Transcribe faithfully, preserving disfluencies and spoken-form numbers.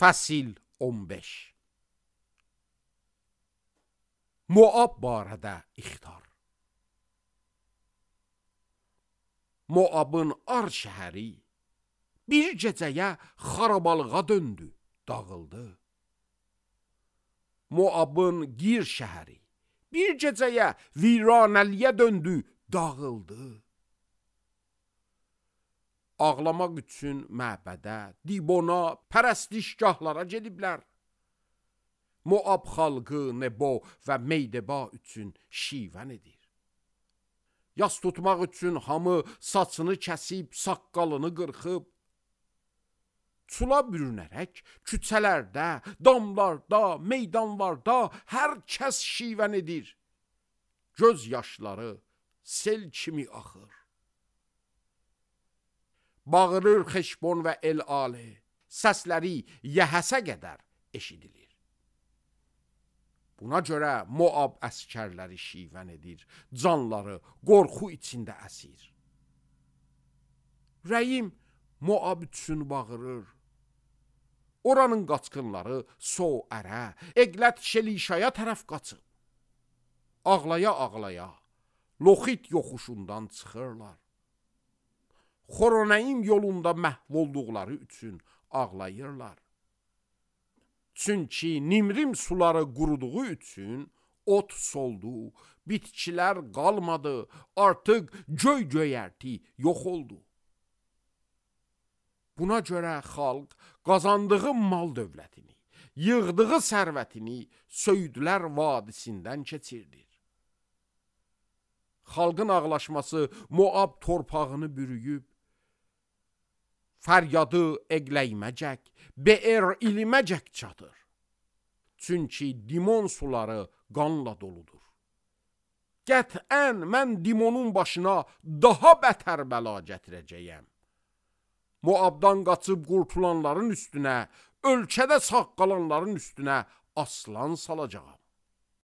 Fəsil on beş. Moab barədə ixtar. Moabın Ar şəhəri bir gecəyə xarabalığa döndü, dağıldı. Moabın Gir şəhəri bir gecəyə viranəliyə döndü, dağıldı. Ağlamaq üçün məbədə, Dibona, pərəstişgahlara gediblər. Moab xalqı Nebo və Meydeba üçün şivən edir. Yas tutmaq üçün hamı saçını kəsib, saqqalını qırxıb, çula bürünərək küçələrdə, damlarda, meydanlarda hər kəs şivən edir. Göz yaşları sel kimi axır. Bağırır Xeşbon və El-Ali, səsləri Yəhəsə qədər eşidilir. Buna görə Moab əskərləri şivən edir, canları qorxu içində əsir. Rəyim Moab üçün bağırır. Oranın qaçqınları So-ərə, Eqlət Şelişaya tərəf qaçıb. Ağlaya-ağlaya Loxit yoxuşundan çıxırlar. Xoronayim yolunda məhv olduqları üçün ağlayırlar. Çünki Nimrim suları quruduğu üçün ot soldu, bitkilər qalmadı, artıq göy göyərti yox oldu. Buna görə xalq qazandığı mal dövlətini, yığdığı sərvətini Söydülər vadisindən keçirdir. Xalqın ağlaşması Moab torpağını bürüyüb, fəryadı Eqləyməcək, Be'er İliməcək çatır. Çünki Dimon suları qanla doludur. Qətən mən Dimonun başına daha bətər bəla gətirəcəyəm. Moabdan qaçıb qurtulanların üstünə, ölkədə sağ qalanların üstünə aslan salacağam.